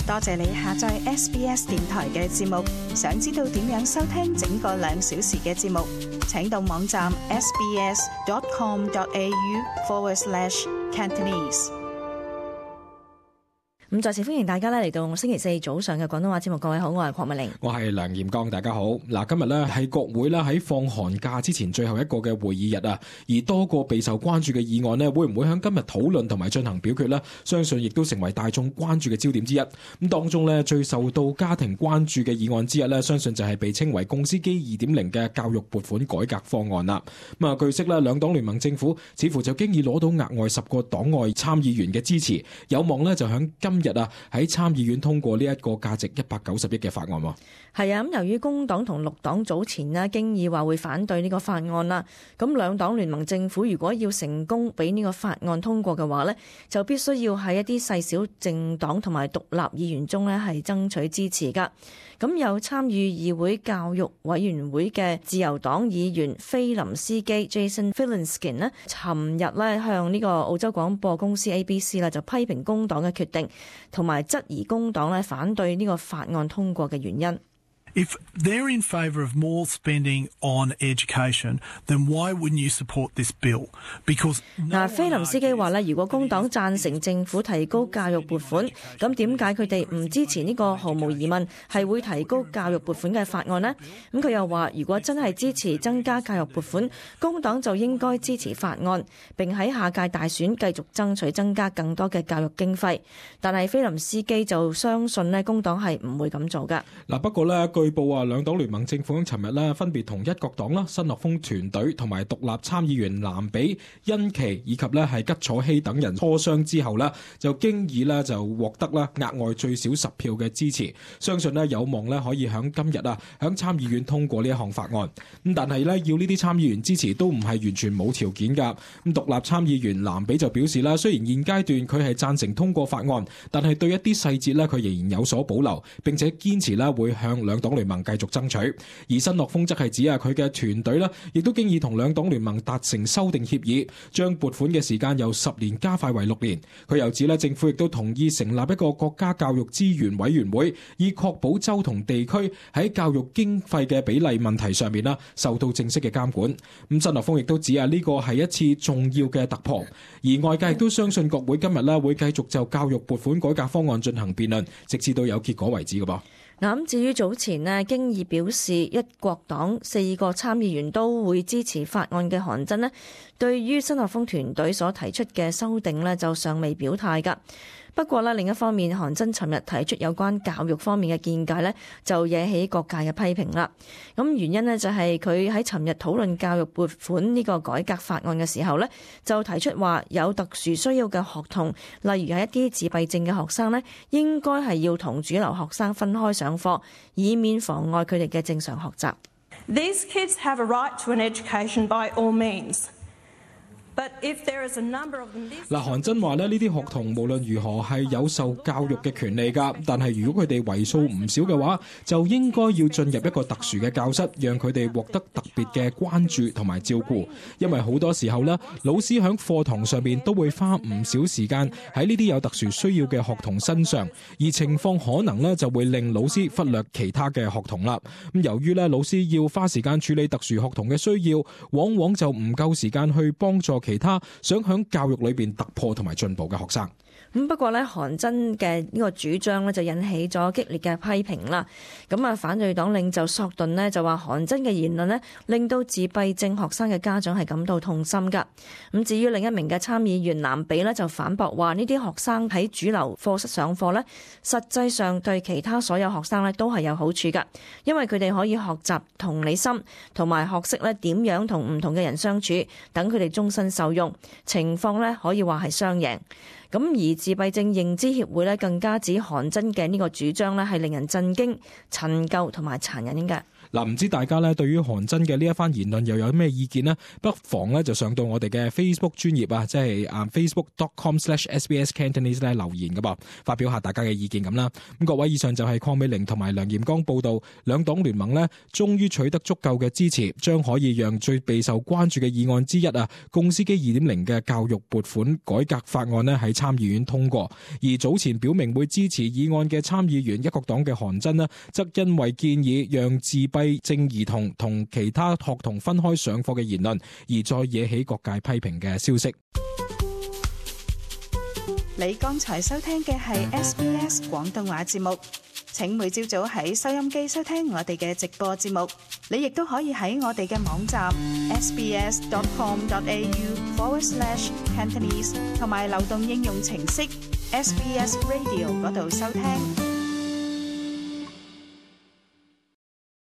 多謝你下載 SBS 電台嘅節目。想知道點樣收聽整個2小時嘅節目，請到網站 sbs.com.au/Cantonese。咁再次歡迎大家嚟到星期四早上嘅廣東話節目。各位好，我係鄺美玲，我係梁炎剛，大家好。嗱，今日咧係國會咧喺放寒假之前最後一個嘅會議日啊，而多個備受關注嘅議案咧，會唔會喺今日討論同埋進行表決呢？相信亦都成為大眾關注嘅焦點之一。咁當中咧最受到家庭關注嘅議案之一咧，相信就係被稱為共司機 2.0 嘅教育撥款改革方案啦。咁啊，據悉咧，兩黨聯盟政府似乎就經已攞到額外10個黨外參議員嘅支持，有望咧就響今日喺參議院通過呢一個價值190億嘅法案。係啊，咁由於工黨同綠黨早前咧經已話會反對呢個法案啦，咁兩黨聯盟政府如果要成功俾呢個法案通過嘅話呢，就必須要喺一啲細小政黨同埋獨立議員中呢係爭取支持噶。咁有參與議會教育委員會嘅自由黨議員菲林斯基 Jason Filinski 呢，尋日呢向呢個澳洲廣播公司 ABC 啦就批評工黨嘅決定，同埋質疑工黨呢反對呢個法案通過嘅原因。If they're in favour of more spending on education, then why wouldn't you support this bill? Because 菲林斯基話咧，如果工黨贊成政府提高教育撥款，咁點解佢哋唔支持呢個毫無疑問係會提高教育撥款嘅法案呢？咁佢又話，如果真係支持增加教育撥款，工黨就應該支持法案，並喺下屆大選繼續爭取增加更多嘅教育經費。但係菲林斯基就相信咧，工黨係唔會咁做㗎。嗱，不過咧，據報兩黨聯盟政府喺尋日咧分別同一國黨啦、新樂豐團隊同埋獨立參議員藍比、恩奇以及咧係吉楚希等人磋商之後咧，就經已咧就獲得咧額外最少10票嘅支持，相信咧有望咧可以喺今日喺參議院通過呢一項法案。咁但係咧要呢啲參議員支持都唔係完全冇條件㗎。咁獨立參議員藍比就表示啦，雖然現階段佢係贊成通過法案，但係對一啲細節咧佢仍然有所保留，並且堅持咧會向兩黨聯盟繼續爭取。而新樂豐則係指佢嘅團隊咧，亦都經已同兩黨聯盟達成修訂協議，將撥款嘅時間由10年加快為6年。佢又指政府亦都同意成立一個國家教育資源委員會，以確保州同地區喺教育經費嘅比例問題上面受到正式嘅監管。咁新樂豐亦都指呢個係一次重要嘅突破，而外界亦都相信國會今日會繼續就教育撥款改革方案進行辯論，直至到有結果為止嘅噃。咁至於早前經已表示一國黨4個參議員都會支持法案嘅韓真，對於新樂豐團隊所提出嘅修訂就尚未表態㗎。不過另一方面，韓真尋日提出有關教育方面嘅見解就惹起各界嘅批評啦。咁原因就係佢喺尋日討論教育撥款呢個改革法案嘅時候就提出話有特殊需要嘅學童，例如係一啲自閉症嘅學生應該係要同主流學生分開上課，以免妨礙佢哋嘅正常學習。These kids have a right to an education by all means. 韓真話呢啲學童無論如何係有受教育嘅權利㗎，但係如果佢哋為數唔少嘅話，就應該要進入一個特殊嘅教室，讓佢哋獲得特別嘅關注同埋照顧。因為好多時候老師喺課堂上面都會花唔少時間喺呢啲有特殊需要嘅學童身上，而情況可能就會令老師忽略其他嘅學童啦。咁由於老師要花時間處理特殊學童嘅需要，往往就唔夠時間去幫助其他想喺教育裏邊突破同埋進步嘅學生。不過韓真嘅呢個主張就引起咗激烈嘅批評啦。反對黨領袖索頓就話韓真嘅言論令到自閉症學生嘅家長係感到痛心㗎。至於另一名嘅參議員藍比就反駁話呢啲學生喺主流課室上課實際上對其他所有學生都係有好處㗎，因為佢哋可以學習同理心，同埋學識點樣同唔同嘅人相處，等佢哋終身受用。情況可以話係雙贏。而自閉症認知協會更加指韓真嘅呢個主張係令人震驚、陳舊同埋殘忍嘅。嗱，唔知大家咧對於韓真嘅呢一番言論又有咩意見呢？不妨咧就上到我哋嘅 Facebook 專頁啊，即係facebook.com/sbscantonese 咧留言噶噃，發表下大家嘅意見咁啦。咁各位，以上就係鄺美玲同埋梁炎剛報道，兩黨聯盟呢終於取得足夠嘅支持，將可以讓最備受關注嘅議案之一啊，共司機 2.0 嘅教育撥款改革法案呢喺參議院通過。而早前表明會支持議案嘅參議員一國黨嘅韓真呢，則因為建議讓自閉症兒童同其他學童分開上課嘅言論，而再惹起各界批評嘅消息。你剛才收聽嘅係 SBS 廣東話節目，請每朝早喺收音機收聽我哋嘅直播節目。你亦都可以喺我哋嘅網站 sbs.com.au/Cantonese 同埋流動應用程式 SBS Radio 嗰度收聽。